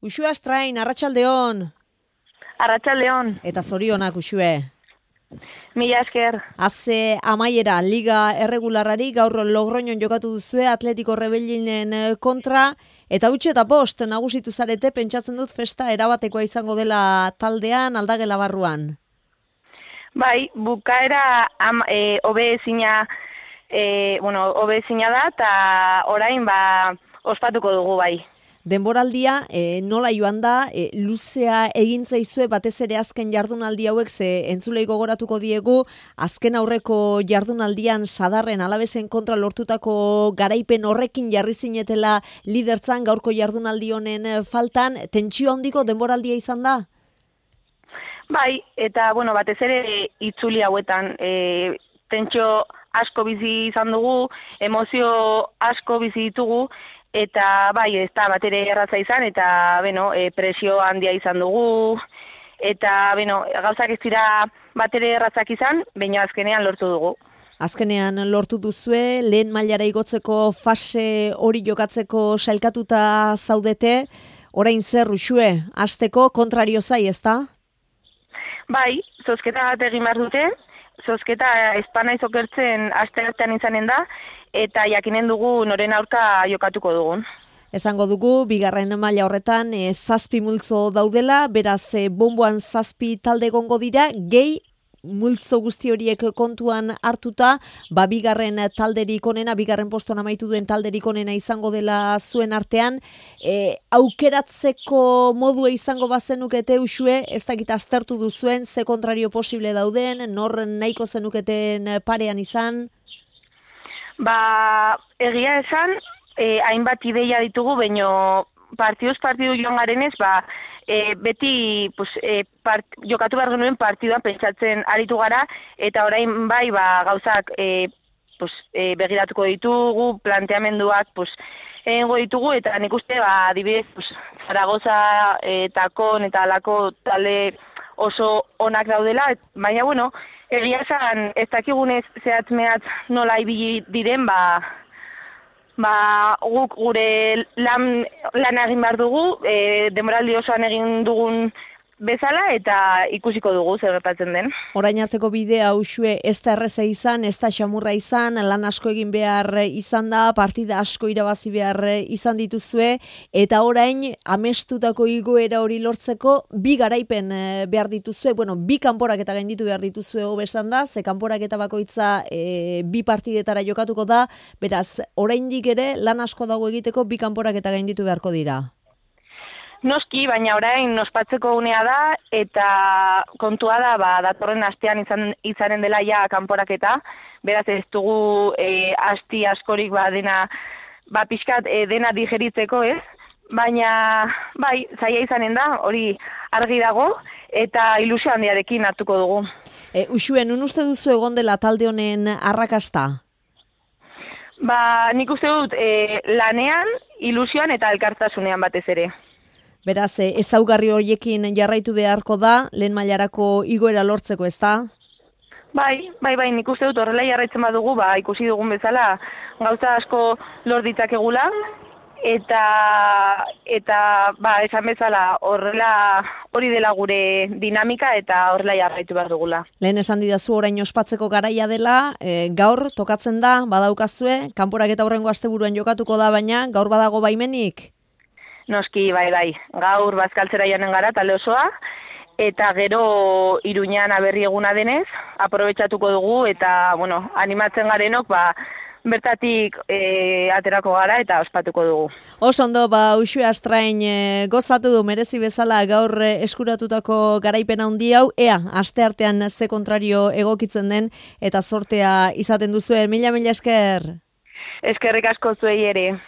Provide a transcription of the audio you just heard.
Uxue Astrain, arratsaldeon. Arratsaldeon. Eta zorionak, Uxue. Mila esker. Haze amaiera, Liga Erregularrari gaur Logroñon jokatu duzue Atletico Rebellinen kontra, eta utxe eta bost nagusitu zarete, pentsatzen dut festa erabatekoa izango dela taldean, aldagela barruan. Bai, bukaera hobezina da, eta orain ospatuko dugu bai. Denboraldia nola joan da, luzea egin zaizue batez ere azken jardunaldi hauek, ze entzulei gogoratuko diegu, azken aurreko jardunaldian Sadarren Alabesen kontra lortutako garaipen horrekin jarri zinetela lidertzan, gaurko jardunaldi honen faltan, tentsio handiko denboraldia izan da? Bai, eta batez ere itzuli hauetan, tentsio asko bizi izan dugu, emozio asko bizi ditugu, eta bai, ez da bat ere erratza izan, eta presio handia izan dugu, eta gauzak ez dira bat ere erratzak izan, baina azkenean lortu dugu. Azkenean lortu duzue, lehen mailara igotzeko fase hori jokatzeko sailkatuta zaudete, orain zer Uxue, hasteko kontrario zai, ezta? Bai, zozketa bat egin behar dute, zozketa espana izokertzen aste artean izanen da, eta jakinen dugu noren aurka jokatuko dugun. Esango dugu, bigarren maila horretan 7 multzo daudela, beraz bonboan 7 talde egongo dira, gehi multzo guzti horiek kontuan hartuta, bigarren talderik onena, bigarren postuan amaitu duen talderik onena izango dela zuen artean, aukeratzeko modua izango bazenukete Uxue, ez dakit aztertu duzuen, ze kontrario posible dauden, nor nahiko zenuketen parean izan? Egia esan, hainbat ideia ditugu, baino partiduz partidu joan garenez, beti jokatu behar genuen partiduan pentsatzen aritu gara, eta orain gauzak begiratuko ditugu, planteamenduak egingo ditugu, eta nik uste, adibidez, Zaragoza eta Kon eta alako talde oso onak daudela, baina, egia esan, ez dakigunez zehatz-mehatz nola ibili diren, guk gure lan egin behar dugu, denboraldi osoan egin dugun bezala, eta ikusiko dugu zer gertatzen den. Orain arteko bidea Uxue ez da erreza izan, ez da xamurra izan, lan asko egin behar izan da, partida asko irabazi behar izan dituzue, eta orain amestutako igoera hori lortzeko bi garaipen behar dituzue, bi kanporak eta gainditu behar dituzue hobesan da, ze kanporak eta bakoitza bi partidetara jokatuko da, beraz, oraindik ere lan asko dago egiteko bi kanporak eta gainditu beharko dira. Noski, baina orain ospatzeko unea da, eta kontua da, datorren astean izanen dela ja kanporaketa, beraz ez dugu asti askorik dena, pixkat dena digeritzeko, ez? Baina, zaila izanen da, hori argi dago, eta ilusio handiarekin hartuko dugu. Uxue, nun uste duzu egon dela talde honen arrakasta? Nik uste dut lanean, ilusioan eta elkartasunean batez ere. Beraz, ezaugarri horiekin jarraitu beharko da, lehen mailarako igoera lortzeko, ezta? Bai, nik uste dut horrela jarraitzen badugu, ikusi dugun bezala gauza asko lor ditzakegula, eta esan bezala hori dela gure dinamika eta horrela jarraitu behar dugula. Lehen esan didazu orain ospatzeko garaia dela, gaur tokatzen da, badaukazue, kanporak eta horrengo asteburuan jokatuko da, baina gaur badago baimenik? Noski, bai. Gaur bazkaltzera joanen gara talde osoa, eta gero Iruñan aberri eguna denez, aprobetxatuko dugu, eta, animatzen garenok, bertatik aterako gara eta ospatuko dugu. Oso ondo, Uxue Astrain gozatu du merezi bezala gaur eskuratutako garaipen handi hau, asteartean ze kontrario egokitzen den, eta sortea izaten duzuen. Mila esker! Eskerrik asko zuei ere.